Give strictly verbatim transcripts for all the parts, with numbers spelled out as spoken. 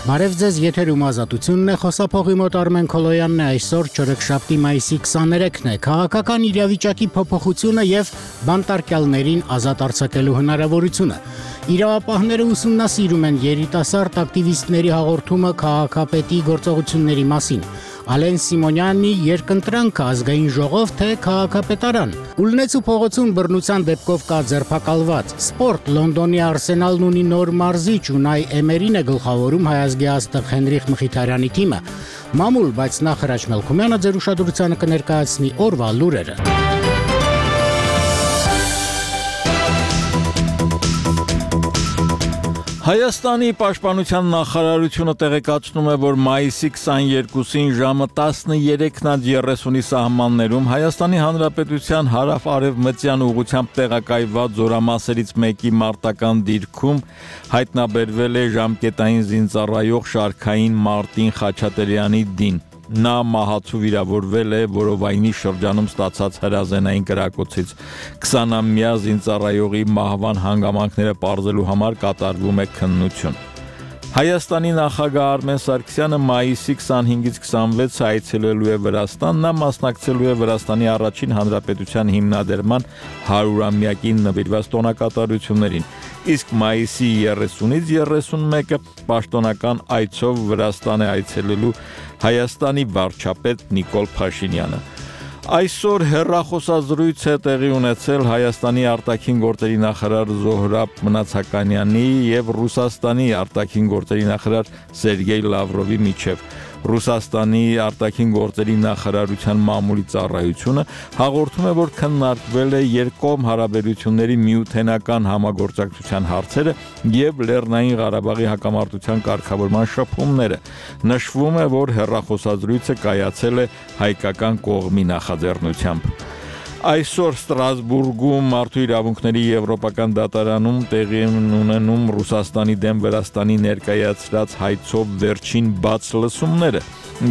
Բարև ձեզ, եթերում ազատությունն է, խոսափողի մոտ Արմեն Քոլոյանն է, այսօր չորեքշաբթի մայիսի քսաներեքն է, քաղաքական իրավիճակի փոփոխությունը եւ բանտարկյալներին ազատ արձակելու հնարավորությունը։ Իրավապահները ուսումնասիրում են երիտասարդ ակտիվիստների հաղորդումը քաղաքապետի գործողությունների մասին։ Ալեն Սիմոնյանի երկընտրանքը ազգային ժողով թե քաղաքապետարան։ Ուլնեցու փողոցում բռնության դեպքով կա ձերբակալված։ Սպորտ Լոնդոնի Արսենալն ունի նոր մարզիչ Ունայ Էմերին է գլխավորում հայազգի աստղ Հենրիխ Մխիթարյանի թիմը։ Մամուլ, բայց նախ Հրաչ Մելքումյանը ձեր ուշադրությանը կներկայացնի օրվա լուրերը։ Հայաստանի պաշտպանության նախարարությունը տեղեկացնում է, որ մայիսի քսաներկուսին ժամը տասներեքն երեսունի սահմաններում Հայաստանի Հանրապետության հարավ-արևմտյան ուղղությամբ տեղակայված զորամասերից մեկի մարտական դիրքում հայտնաբերվել է ժամկետային զինծառայող Շարքային Մարտին Խաչատրյանի դին։ Նա մահացու վիրավորվել է որովայնի շրջանում ստացած հրազենային կրակոցից։ քսանամյա զինծառայողի մահվան հանգամանքները պարզելու համար կատարվում է քննություն։ Հայաստանի նախագահ Արմեն Սարգսյանը մայիսի քսանհինգից քսանվեցը այցելելու է Վրաստան, նա մասնակցելու է Վրաստանի առաջին հանրապետության հիմնադրման հարյուրամյակին նվիրված տոնակատարություններին, իսկ մայիսի երեսունից երեսունմեկը պաշտոնական այցով Վրաստան է այցելելու Հայաստանի վարչապետ Նիկոլ Փաշինյանը։ Այսօր հեռախոսազրույց է տեղի ունեցել Հայաստանի արտաքին գործերի նախարար Զոհրաբ Մնացականյանի եւ Ռուսաստանի արտաքին գործերի նախարար Սերգեյ Լավրովի միջև։ Ռուսաստանի արտաքին գործերի նախարարության մամուլի ծառայությունը հաղորդում է, որ քննարկվել է երկկողմ հարաբերությունների միութենական համագործակցության հարցերը եւ Լեռնային Ղարաբաղի հակամարտության կարգավորման շփումները։ Նշվում է, որ հեռախոսազրույցը կայացել է հայկական կողմի նախաձեռնությամբ։ Այսօր Ստրասբուրգում մարդու իրավունքների եվրոպական դատարանում տեղի ունենում Ռուսաստանի դեմ Վրաստանի ներկայացրած հայցով վերջին բաց լսումները։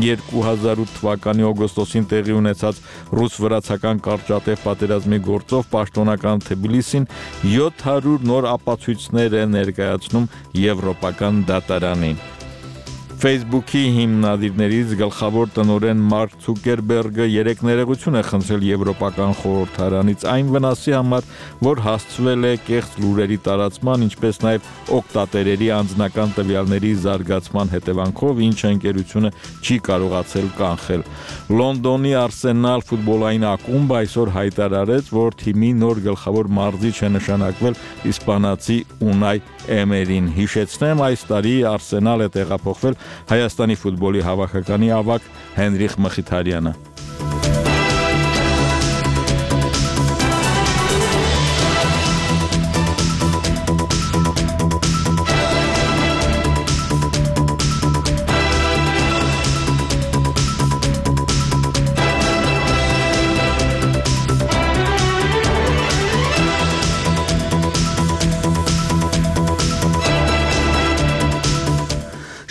երկու հազար ութ թվականի օգոստոսին տեղի ունեցած ռուս-վրացական կարճատև պատերազմի գործով պաշտոնական Թբիլիսին յոթ հարյուր նոր ապացույցներ է ներկայացնում եվրոպական դատարանին։ Facebook-ի հիմնադիրներից գլխավոր տնօրեն Մարկ Ցուկերբերգը երեք ներողություն է խնդրել Եվրոպական խորհրդարանից այն վնասի համար, որ հասցվել է կեղծ լուրերի տարածման, ինչպես նաև օգտատերերի անձնական տվյալների զարգացման հետևանքով, ինչը ընկերությունը չի կարողացել կանխել։ Լոնդոնի Արսենալ ֆուտբոլային ակումբը այսօր հայտարարեց, որ թիմի նոր գլխավոր մարզիչ է նշանակվել իսպանացի Ունայ Էմերին։ Հիշեցնեմ, այս տարի Արսենալ է տեղափոխվել Հայաստանի ֆուտբոլի հավաքականի ավագ Հենրիխ Մխիթարյանը։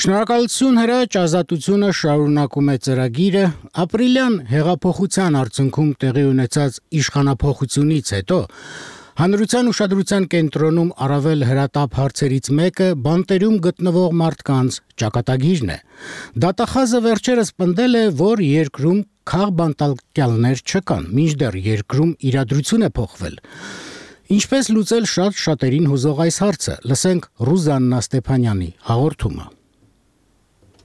Շնորհակալություն Հրաչ, ազատությունը շարունակում է ծրագիրը։ Ապրիլյան հեղափոխության արդյունքում տեղի ունեցած իշխանափոխությունից հետո հանրության ուշադրության կենտրոնում առավել հրատապ հարցերից մեկը բանտերում գտնվող մարդկանց ճակատագիրն է։ Դատախազը վերջերս պնդել է, որ երկրում քաղբանտարկյալներ չկան, մինչդեռ երկրում իրադրություն է փոխվել։ Ինչպես լուծել շատ շատերին հուզող այս հարցը, լսենք Ռուզաննա Ստեփանյանի հաղորդումը։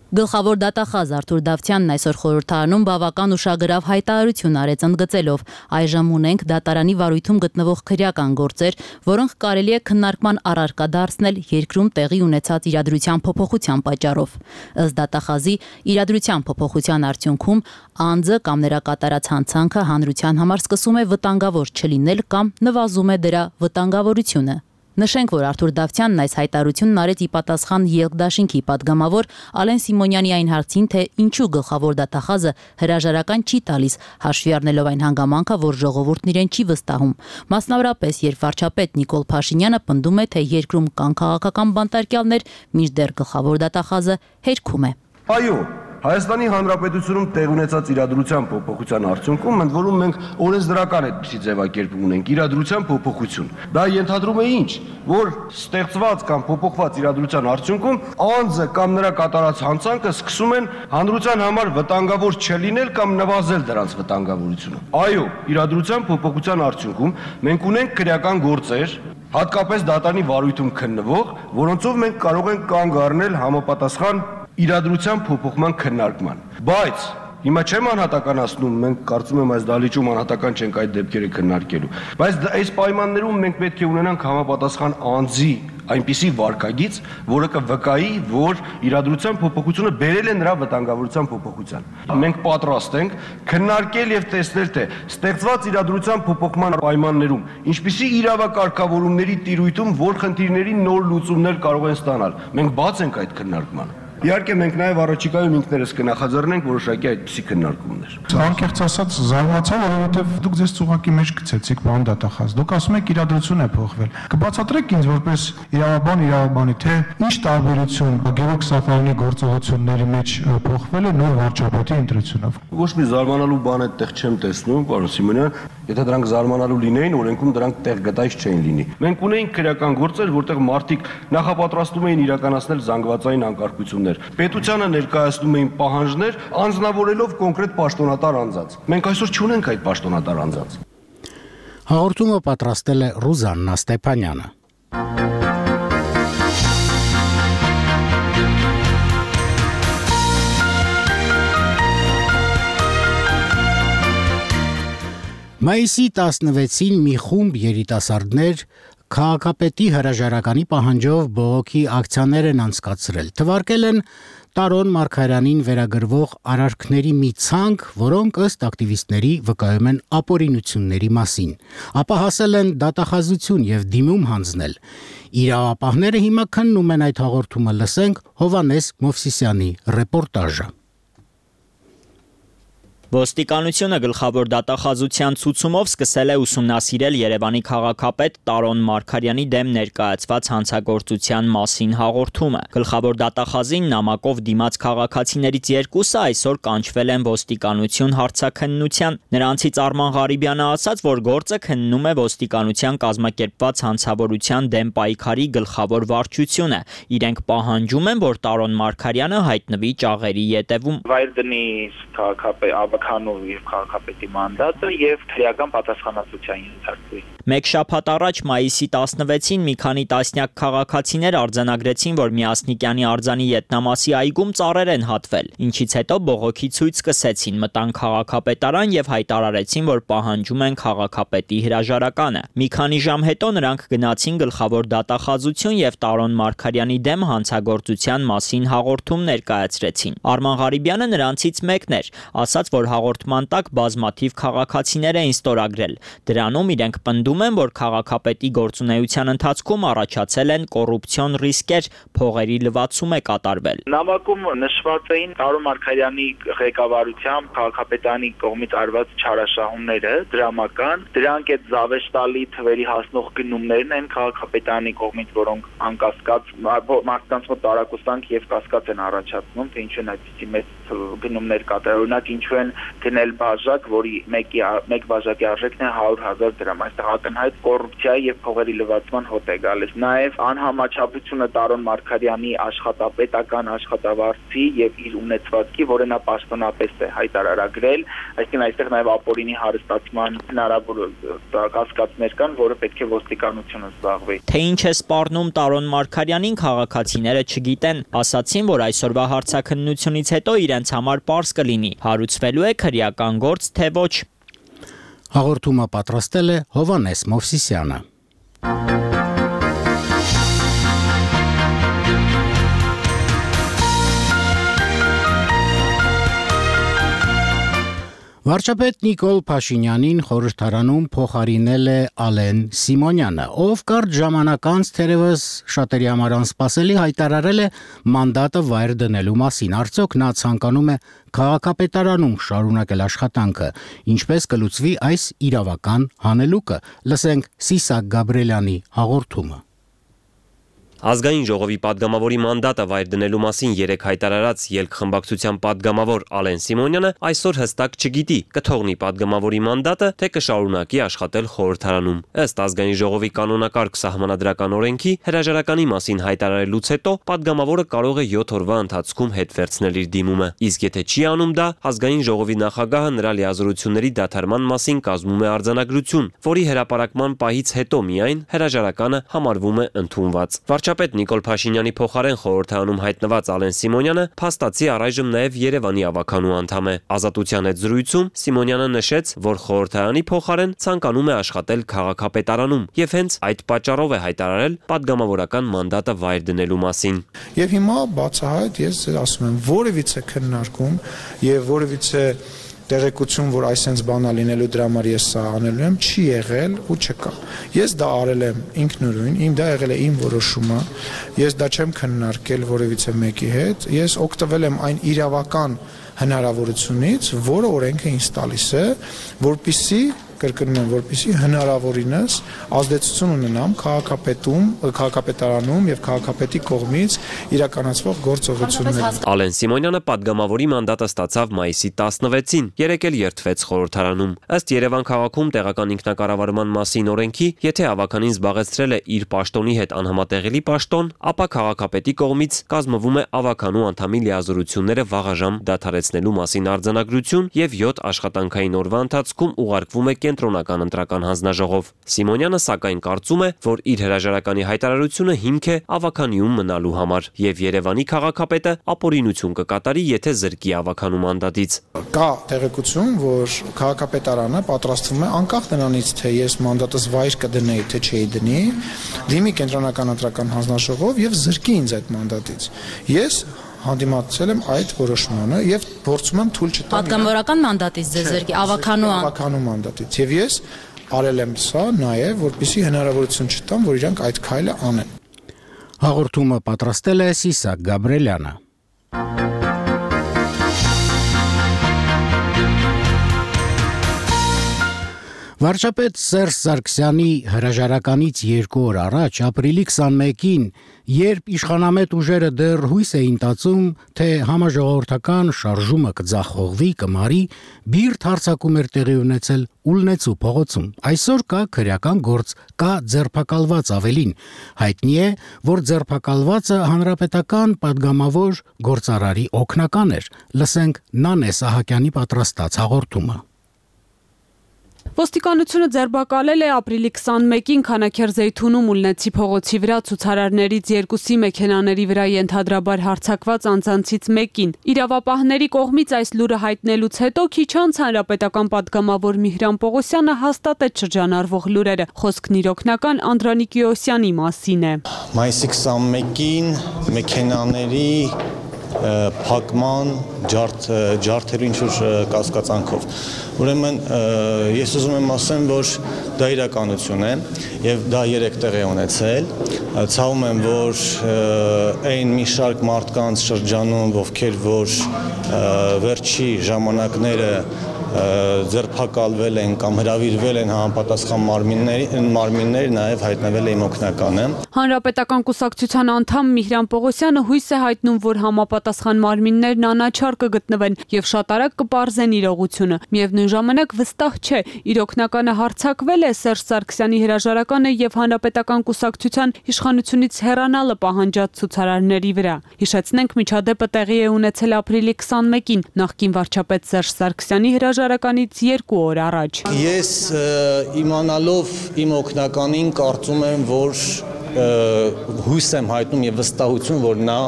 Գլխավոր դատախազ Արթուր Դավթյանն այսօր խորհրդարանում բավական ուշագրավ հայտարարություն արեց ընդգծելով. այժմ ունենք դատարանի վարույթում գտնվող քրեական գործեր, որոնք կարելի է քննարկման առարկա դարձնել երկրում տեղի ունեցած իրադրության փոփոխության պատճառով։ Ըստ դատախազի, իրադրության փոփոխության արդյունքում անձը կամ նրա կատարած հանցանքը հանրության համար սկսում է վտանգավոր չլինել կամ նվազում է դրա վտանգավորությունը։ Նշենք, որ Արթուր Դավթյանն այս հայտարարությունն արեց ի պատասխան Ելք դաշինքի падգամավոր Ալեն Սիմոնյանի այն հարցին, թե ինչու գլխավոր դատախազը հրաժարական չի տալիս, հաշվի առնելով այն հանգամանքը, որ ժողովուրդն իրեն չի վստահում։ Մասնավորապես, երբ վարչապետ Նիկոլ Փաշինյանը պնդում է, թե երկրում կան քաղաքական բանտարկյալներ, մինչդեռ գլխավոր դատախազը հերքում է։ Այո, Հայաստանի Հանրապետությունում տեղ ունեցած իրադրության փոփոխության արդյունքում ընդ որում մենք օրենսդրական այդպիսի ձևակերպում ունենք իրադրության փոփոխություն։ Դա ենթադրում է ինչ, որ ստեղծված կամ փոփոխված իրադրության արդյունքում անձը կամ նրա կատարած հանցանքը սկսում են հանրության համար վտանգավոր չլինել կամ նվազել դրանց վտանգավորությունը։ Այո, իրադրության փոփոխության արդյունքում մենք ունենք քրեական գործեր, հատկապես դատարանի վարույթում քննվող, որոնցով մենք կարող ենք կանգ առնել համապատասխան իրադրության փոփոխման քննարկման։ Բայց հիմա չեմ անհատականացնում, մենք կարծում եմ այս դահլիճում անհատական չենք այդ դեպքերը քննարկելու, բայց այս պայմաններում մենք պետք է ունենանք համապատասխան անձի այնպիսի վարքագիծ, որը կվկայի, որ իրադրության փոփոխությունը բերել է նրա վտանգավորության փոփոխության։ Մենք պատրաստ ենք քննարկել եւ տեսնել, թե ստեղծված իրադրության փոփոխման պայմաններում ինչպիսի իրավակարգավորումների տիրույթում որ խնդիրների նոր լուծումներ կարող են ստանալ։ Մենք բաց ենք այդ քննարկմանը։ Իհարկե մենք նաև առաջիկայում ինքներս կնախաձեռնենք որոշակի այդպիսի քննարկումներ։ Անկեղծ ասած զարմացա, որովհետև դուք ձեզ ծուղակի մեջ գցեցիք, պարոն դատախազ։ Դուք ասում եք իրադրություն է փոխվել։ Կբացատրեք ինձ որպես իրավաբան իրավաբանի, թե ինչ տարբերություն Գևորգ Սաֆարյանի գործողությունների մեջ փոխվել է նոր վարչապետի ընտրությունով։ Ոչ մի զարմանալու բան այդտեղ չեմ տեսնում, պարոն Սիմոնյան, եթե դրանք զարմանալու լինեին, օրենքում դրանք տեղ գտայից չէին լինի։ Մենք ունեինք քրեական գործեր, որտեղ մարդիկ նախապատրաստում էին իրականացնել զանգվածային անկարգություններ։ Պետությանը ներկայացնում էին պահանջներ, անձնավորելով կոնկրետ պաշտոնատար անձանց։ Մենք այսօր չունենք այդ պաշտոնատար անձանց։ Հաղորդումը պատրաստել է Ռուզաննա Ստեփանյանը։ Մայիսի տասնվեցին մի խումբ երիտասարդներ քաղաքապետի հրաժարականի պահանջով բողոքի ակցիաներ են անցկացրել։ Թվարկել են Տարոն Մարգարյանին վերագրվող արարքների մի ցանկ, որոնք ըստ ակտիվիստների վկայում են ապօրինությունների մասին։ Ապա հասել են դատախազություն եւ դիմում հանձնել։ Իրավապահները հիմա քննում են այդ հաղորդումը, լսենք Հովհաննես Մովսիսյանի ռեպորտաժը։ Ոստիկանությունը գլխավոր դատախազության ցուցումով սկսել է ուսումնասիրել Երևանի քաղաքապետ Տարոն Մարգարյանի դեմ ներկայացված հանցագործության մասին հաղորդումը։ Գլխավոր դատախազին նամակով դիմաց քաղաքացիներից երկուսը այսօր կանչվել են ոստիկանություն հարցաքննության։ Նրանցից Արման Ղարիբյանը ասաց, որ գործը քննում է ոստիկանության կազմակերպված հանցավորության դեմ պայքարի գլխավոր վարչությունը։ Իրենք պահանջում են, որ Տարոն Մարգարյանը հայտնվի ճաղերի ետևում։ Վայր դնի քաղաքապետ Քանով եւ քաղաքապետի մանդատը եւ քրեական պատասխանատվության ենթարկվի։ Մեկ շաբաթ առաջ մայիսի տասնվեցին մի քանի տասնյակ քաղաքացիներ արձանագրեցին, որ Միասնիկյանի արձանի ետնամասի այգում ծառեր են հատվել, ինչից հետո բողոքի ցույց սկսեցին, մտան քաղաքապետարան եւ հայտարարեցին, որ պահանջում են քաղաքապետի հրաժարականը։ Մի քանի ժամ հետո նրանք գնացին գլխավոր դատախազություն եւ Տարոն Մարգարյանի դեմ հանցագործության մասին հաղորդում ներկայացրեցին։ Արման Ղարիբյանը նրանցից մեկն էր, ասաց, որ հաղորդման տակ բազմաթիվ քաղաքացիներ էին ստորագրել։ Դրանում իրենք պնդում են, որ քաղաքապետի գործունեության ընթացքում առաջացել են կոռուպցիոն ռիսկեր, փողերի լվացում է կատարվել։ Նամակում նշված էին Տարոն Մարգարյանի ղեկավարությամբ քաղաքապետանի կողմից արված չարաշահումները, դրամական, դրանք այդ զավեշտալի թվերի հասնող գնումներն են քաղաքապետանի կողմից, որոնք անկասկած մարդկանց մոտ տարակուսանք եւ կասկած են առաջացնում, թե ինչու են այդպիսի մեծ գնումներ կատարել։ Օրինակ ինչու են գնել բաժակ, որի մեկի մեկ բաժակի արժեքն է հարյուր հազար դրամ։ Այստեղ ակնհայտ կոռուպցիայի եւ փողերի լվացման հոտ է գալիս։ Նաեւ անհամաչափությունը Տարոն Մարգարյանի աշխատապետական աշխատավարձի եւ իր ունեցվածքի, որը նա պաշտոնապես է հայտարարագրել, այսինքն այստեղ նաեւ ապօրինի հարստացման հնարավոր կասկածներ կան, որը պետք է ոստիկանությունը զբաղվի։ Թե ինչ է սպառնում Տարոն Մարգարյանին, քաղաքացիները չգիտեն, ասացին, որ այսօրվա հարցաքննությունից հետո իրենց համար պարզ կլինի, հարուցվելու է քրեական գործ, թե ոչ։ Հաղորդումը պատրաստել է Հովհաննես Մովսիսյանը։ Վարչապետ Նիկոլ Փաշինյանին խորհրդարանում փոխարինել է Ալեն Սիմոնյանը, ով կարճ ժամանակ անց թերևս շատերի համար անսպասելի հայտարարել է մանդատը վայր դնելու մասին։ Արդյոք նա ցանկանում է քաղաքապետարանում շարունակել աշխատանքը, ինչպես կլուծվի այս իրավական հանելուկը։ Լսենք Սիսակ Գաբրելյանի հաղորդումը։ Ազգային ժողովի падգամավորի մանդատը վայր դնելու մասին երեկ հայտարարած ելք-խմբակցության падգամավոր Ալեն Սիմոնյանը այսօր հստակ չգիտի կթողնի падգամավորի մանդատը, թե կշարունակի աշխատել խորհրդարանում։ Ըստ ազգային ժողովի կանոնակարգ սահմանադրական օրենքի հրաժարականի մասին հայտարարելուց հետո падգամավորը կարող է յոթ օրվա ընթացքում հետ վերցնել իր դիմումը։ Իսկ եթե չի անում դա, ազգային ժողովի նախագահը նրա լիազորությունների դադարման մասին կազմում է արձանագրություն, որի հրապարակման պահից հետո միայն հրաժարականը համարվում է ընդունված։ Վարչապետ Նիկոլ Փաշինյանի փոխարեն խորհրդարանում հայտնված Ալեն Սիմոնյանը փաստացի առայժմ նաև Երևանի ավականու անդամ է։ Ազատության հետ զրույցում Սիմոնյանը նշեց, որ խորհրդարանի փոխարեն ցանկանում է աշխատել քաղաքապետարանում եւ հենց այդ պատճառով է հայտարարել падգամավորական մանդատը վայր դնելու մասին։ Եվ հիմա բացահայտ ես ձեզ ասում եմ, որևիցե քննարկում եւ որևիցե տեղեկություն, որ այսպես բանա լինելու դրա համար ես սա անելու եմ, չի եղել ու չկա։ Ես դա արել եմ ինքնուրույն, իմ դա եղել է իմ որոշումը, ես դա չեմ քննարկել որևիցե մեկի հետ, ես օգտվել եմ այն իրավական հնարավորությունից, որը օրենքը ինձ տալիս է, որպեսզի կրկնում եմ, որպեսզի հնարավորինս ազդեցություն ունենամ քաղաքապետում, քաղաքապետարանում եւ քաղաքապետի կողմից իրականացվող գործողություններին։ Ալեն Սիմոնյանը падգամավորի մանդատը ստացավ մայիսի տասնվեցին, երեկ էլ երդվեց խորհրդարանում։ Ըստ Երևան քաղաքում տեղական ինքնակառավարման մասին օրենքի, եթե ավականին զբաղեցրել է իր պաշտոնի հետ անհամատեղելի պաշտոն, ապա քաղաքապետի կողմից կազմվում է ավականու անդամի լիազորությունները վաղաժամ դադարեցնելու մասին արձանագրություն եւ յոթ աշխատանքային օրվա ընթացքում ուղարկվում է կենտրոնական ընտրական հանձնաժողով։ Սիմոնյանը սակայն կարծում է, որ իր հրաժարականի հայտարարությունը հիմք է ավականիում մնալու համար եւ Երևանի քաղաքապետը ապօրինություն կկատարի, եթե զրկի ավականու մանդատից։ Կա տեղեկություն, որ քաղաքապետարանը պատրաստվում է անկախ նրանից, թե ես մանդատս վայր կդնեի, թե չէի դնի, դիմի կենտրոնական ընտրական հանձնաժողով եւ զրկի ինձ այդ մանդատից։ Ես հանդիմացել եմ այդ որոշմանը եւ փորձում եմ թույլ չտալ Պատգամավորական մանդատից ձեզ զրկի ավականու ավականու մանդատից եւ ես արել եմ սա նաեւ որպեսզի հնարավորություն չտամ, որ իրանք այդ քայլը անեն։ Հաղորդումը պատրաստել է Սիսակ Գաբրելյանը։ Վարչապետ Սերժ Սարգսյանի հրաժարականից երկու օր առաջ, ապրիլի քսանմեկին, երբ իշխանամետ ուժերը դեռ հույս էին տածում, թե համաժողովրդական շարժումը կձախողվի, կմարի, բիրտ հարձակում էր տեղի ունեցել Ուլնեցու փողոցում։ Այսօր կա քրեական գործ, կա ձերբակալված ավելին։ Հայտնի է, որ ձերբակալվածը հանրապետական падգամավոր գործարարի օգնական էր։ Լսենք Նանե Սահակյանի պատրաստած հաղորդումը։ Ոստիկանությունը ձերբակալել է ապրիլի քսանմեկին Քանաքեռ-Զեյթունում Ուլնեցի փողոցի վրա ցուցարարներից երկուսի մեքենաների վրա ենթադրաբար հարձակված անձանցից մեկին։ Իրավապահների կողմից այս լուրը հայտնելուց հետո քիչ անց հանրապետական падգամավոր Միհրան Պողոսյանը հաստատեց շրջանառվող լուրերը։ Խոսքն իր օգնական Անդրանիկ Յոսյանի մասին է։ Մայիսի քսանմեկին մեքենաների փակման ջարդ ջարդերի ինչ-որ կասկածանքով։ Ուրեմն ես ուզում եմ ասեմ, որ դա իրականություն է եւ դա երեք տեղ է ունեցել։ Ցավում եմ, որ այն մի շարք մարդկանց շրջանում, ովքեր որ վերջի ժամանակները ձերբակալվել են կամ հրավիրվել են համապատասխան մարմինների մարմիններ նաև հայտնվել է իմ օգնականը։ Հանրապետական կուսակցության անդամ Միհրան Պողոսյանը հույս է հայտնում, որ համապատասխան մարմիններն անաչառ կգտնվեն եւ շատ արագ կպարզեն իրողությունը։ Միևնույն ժամանակ վստահ չէ, իր օգնականը հարձակվել է Սերժ Սարգսյանի հրաժարականը եւ հանրապետական կուսակցության իշխանությունից հեռանալը պահանջած ցուցարարների վրա։ Հիշեցնենք, միջադեպը տեղի է ունեցել ապրիլի քսանմեկին, նախկին վարչապետ Սերժ Սարգսյանի հրաժարականից երկու օր առաջ։ Ես իմանալով իմ օգնականին կարծում եմ, որ հույս եմ հայտնում եւ վստահություն, որ նա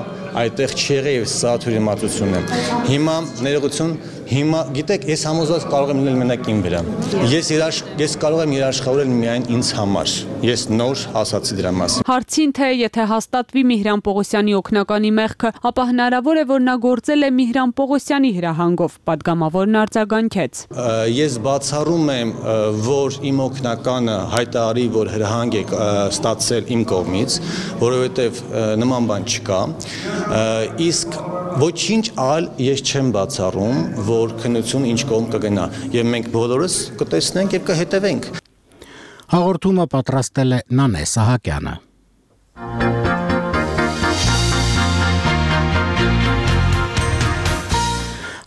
այդտեղ չի եղել եւ սա թյուրիմացություն է։ Հիմա ներողություն, հիմա գիտեք, ես համոզված կարող եմ լինել մենակ իմ վրա։ Ես երաշխ ես կարող եմ երաշխավորել միայն ինձ համար։ Ես նոր ասացի դրա մասին։ Հարցին թե եթե հաստատվի Միհրան Պողոսյանի օգնականի մեղքը, ապա հնարավոր է, որ նա գործել է Միհրան Պողոսյանի հրահանգով, падգամավորն արձագանքեց։ Ես բացառում եմ, որ իմ օգնականը հայտարարի, որ հրահանգ է ստացել իմ կողմից, որովհետև նման բան չկա։ Իսկ ոչինչ այլ ես չեմ բացառում, որ քննություն ինչ կողմ կգնա եւ մենք բոլորս կտեսնենք եւ կհետևենք։ Հաղորդումը պատրաստել է Նանե Սահակյանը։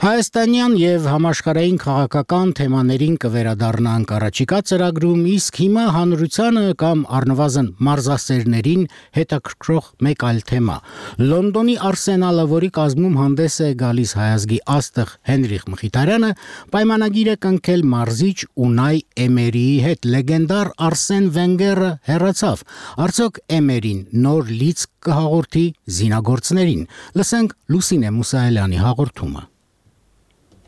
Հայաստանյան եւ համաշխարհային քաղաքական թեմաներին կվերադառնանք առաջիկա ծրագրում, իսկ հիմա հանրությանը կամ առնվազն մարզասերներին հետաքրքրող մեկ այլ թեմա։ Լոնդոնի Արսենալը, որի կազմում հանդես է գալիս հայազգի աստղ Հենրիխ Մխիթարյանը, պայմանագիր է կնքել մարզիչ Ունայ Էմերիի հետ։ Լեգենդար Արսեն Վենգերը հեռացավ։ Արդյոք Էմերին նոր լիցք կհաղորդի զինագործներին։ Լսենք Լուսինե Մուսայելյանի հաղորդումը։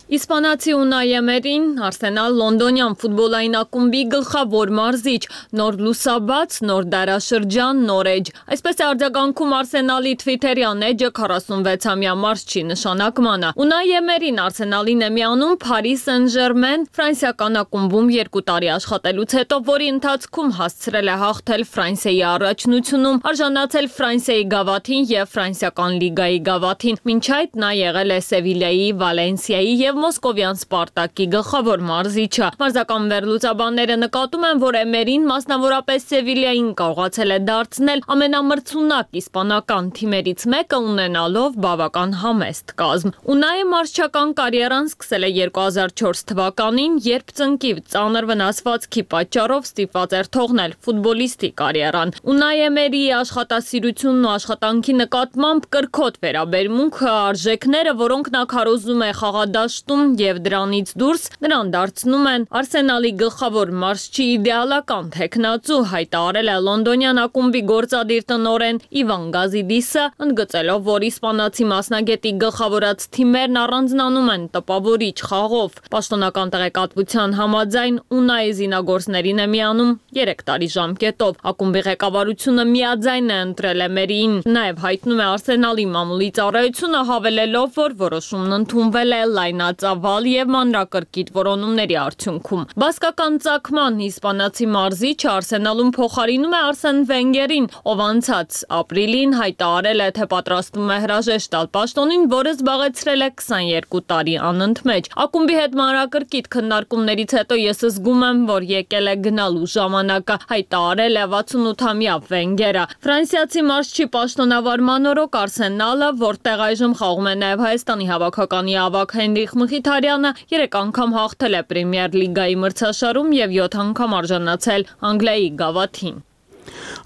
Իսպանացի Ունայ Էմերին Արսենալ լոնդոնյան ֆուտբոլային ակումբի գլխավոր մարզիչ, նոր լուսաբաց, նոր դարաշրջան, նոր էջ։ Այսպես է արձագանքում Արսենալի Twitter-յան էջը քառասունվեցամյա մարզչի նշանակմանը։ Ունայ Էմերին Արսենալին է միանում Paris Saint-Germain ֆրանսիական ակումբում երկու տարի աշխատելուց հետո, որի ընթացքում հասցրել է հաղթել Ֆրանսիայի առաջնությունում, արժանացել Ֆրանսիայի գավաթին եւ ֆրանսիական լիգայի գավաթին։ Մինչ այդ նա եղել է Սևիլիայի, Վալենսիայի եւ Մոսկովյան Սպարտակի գլխավոր մարզիչը։ Մարզական վերլուծաբանները նկատում են, որ Էմերին մասնավորապես Սևիլիային կարողացել է դարձնել ամենամրցունակ իսպանական թիմերից մեկը, ունենալով բավական համեստ կազմ։ Ունայը մարզչական կարիերան սկսել է երկու հազար չորս թվականին, երբ ծնկի ծանր վնասվածքի պատճառով ստիպված էր թողնել ֆուտբոլիստի կարիերան։ Ունայ Էմերիի աշխատասիրությունն ու աշխատանքի նկատմամբ կրքոտ վերաբերմունքը, արժեքները, որոնք նա քարոզում է խաղադաշտ եւ դրանից դուրս նրան դարձնում են Արսենալի գլխավոր մարզչի իդեալական թեկնածու, հայտարարել է լոնդոնյան ակումբի գործադիր տնօրեն Իվան Գազիդիսը, ընդգծելով, որ իսպանացի մասնագետի գլխավորած թիմերն առանձնանում են տպավորիչ խաղով։ Պաշտոնական տեղեկատվության համաձայն Ունայ զինագործներին է միանում երեք տարի ժամկետով։ Ակումբի ղեկավարությունը միաձայն է ընտրել Էմերիին, նաեւ հայտնում է Արսենալի մամուլի ծառայությունը, հավելելով, որ որոշումն ընդունվել է լայնած ծավալ եւ մանրակրկիտ որոնումների արդյունքում։ Բասկական ծագման իսպանացի մարզիչը Արսենալում փոխարինում է Արսեն Վենգերին, ով անցած ապրիլին հայտարարել է, թե պատրաստվում է հրաժեշտ տալ պաշտոնին, որը զբաղեցրել է քսաներկու տարի անընդմեջ։ Ակումբի հետ մանրակրկիտ քննարկումներից հետո ես զգում եմ, որ եկել է գնալու ժամանակը, հայտարարել է վաթսունութամյա Վենգերը։ Ֆրանսիացի մարզչի պաշտոնավարման օրոք Արսենալը, որտեղ այժմ խաղում է նաեւ Հայաստանի հավաքականի ավագ Հենրիխ Մխիթարյանը, երեք անգամ հաղթել է Պրեմիեր լիգայի մրցաշարում եւ յոթ անգամ արժանացել Անգլիայի գավաթին։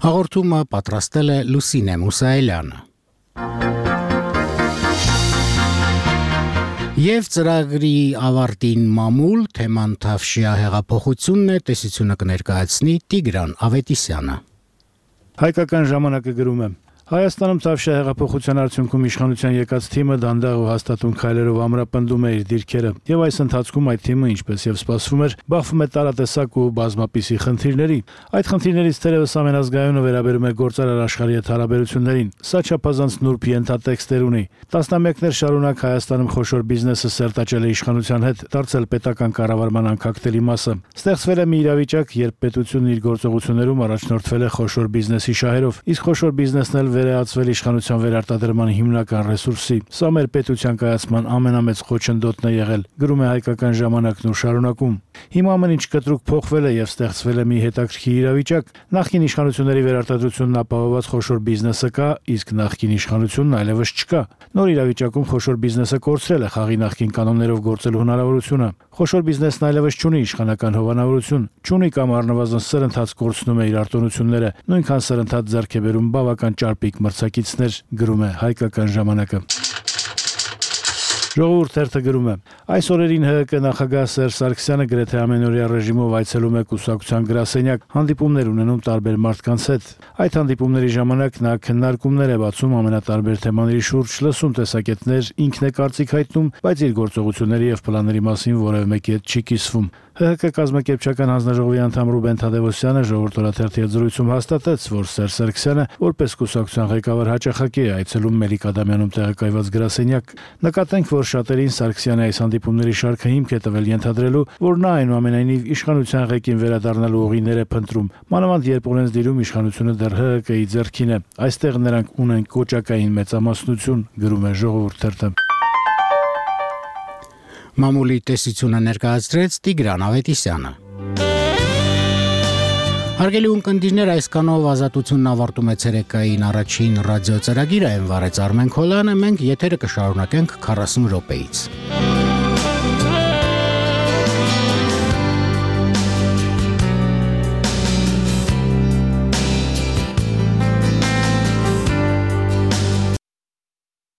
Հաղորդումը պատրաստել է Լուսինե Մուսայելյանը։ Եվ ծրագրի ավարտին մամուլ թեման Թավշյա հեղափոխությունն է, տեսությունը կներկայացնի Տիգրան Ավետիսյանը։ Հայկական ժամանակը գրում է. Հայաստանում Թավշյա հեղափոխության արդյունքում իշխանության եկած թիմը դանդաղ ու հաստատուն քայլերով ամրապնդում է իր դիրքերը, եւ այս ընթացքում այդ թիմը, ինչպես եւ սպասվում էր, բախվում է տարատեսակ ու բազմապիսի խնդիրների։ Այդ խնդիրներից թերևս ամենազգայունը վերաբերում է գործարար աշխարհի հետ հարաբերություններին։ Սա չափազանց նուրբ ենթատեքստեր ունի։ Տասնամյակներ շարունակ Հայաստանում խոշոր բիզնեսը սերտաճել է իշխանության հետ, դարձել պետական կառավարման անկախտելի մասը։ Ստեղծվել է մի իրավիճակ, երբ պետությունն իր գործողություններում առաջնորդվել է խոշոր բիզնեսի շահերով, իսկ խոշոր բիզնեսն էլ վերածվել իշխանության վերարտադրման հիմնական ռեսուրսի։ Սա մեր պետության կայացման ամենամեծ խոչընդոտն է եղել, գրում է Հայկական ժամանակն ու շարունակում։ Հիմա ամեն ինչ կտրուկ փոխվել է եւ ստեղծվել է մի հետաքրքիր իրավիճակ։ Նախկին իշխանությունների վերարտադրությունն ապահովված խոշոր բիզնեսը կա, իսկ նախկին իշխանությունն այլևս չկա։ Նոր իրավիճակում խոշոր բիզնեսը կորցրել է խաղի նախկին կանոններով գործելու հնարավորությունը։ Խոշոր բիզնեսն այլևս չունի իշխանական հովանավորություն, չունի կամ առնվազն սրընթաց կորցնում է իր արտոնությունները, նույնքան սրընթաց ձեռք է բերում բավական ճարպիկ մրցակիցներ, գրում է Հայկական ժամանակը։ Ժողովուրդ թերթը գրում է. այս օրերին ՀՀԿ նախագահ Սերժ Սարգսյանը գրեթե ամենօրյա ռեժիմով այցելում է կուսակցության գրասենյակ, հանդիպումներ ունենում տարբեր մարդկանց հետ։ Այդ հանդիպումների ժամանակ նա քննարկումներ է բացում ամենատարբեր թեմաների շուրջ, լսում տեսակետներ, ինքն է կարծիք հայտնում, բայց իր գործողությունների եւ պլանների մասին որևէ մեկի հետ չի կիսվում։ ՀՀԿ կազմակերպչական հանձնաժողովի անդամ Ռուբեն Թադևոսյանը Ժողովուրդ օրաթերթի հետ զրույցում հաստատեց, որ Սերժ Սարգսյանը որպես կուսակցության ղեկավար հաճախակի է այցելում Մելիք Ադամյանում տեղակայված գրասենյակ։ Նկատենք, որ շատերին Սարգսյանը այս հանդիպումների շարքը հիմք է տվել ենթադրելու, որ նա այնուամենայնիվ իշխանության ղեկին վերադառնալու ուղիներ է փնտրում, մանավանդ երբ օրենսդիրում իշխանությունը դեռ ՀՀԿ-ի ձեռքին է։ Այստեղ նրանք ունեն կոճակային մեծամասնություն, գրում է Ժողովուրդ թերթը։ Մամուլի տեսությունը ներկայացրեց Տիգրան Ավետիսյանը։ Հարգելի ունկնդիրներ, այսքանով ազատությունն ավարտում է ցերեկային առաջին ռադիո ծրագիրը, այն վարեց Արմեն Քոլյանը, մենք եթերը կշարունակենք քառասուն րոպեից։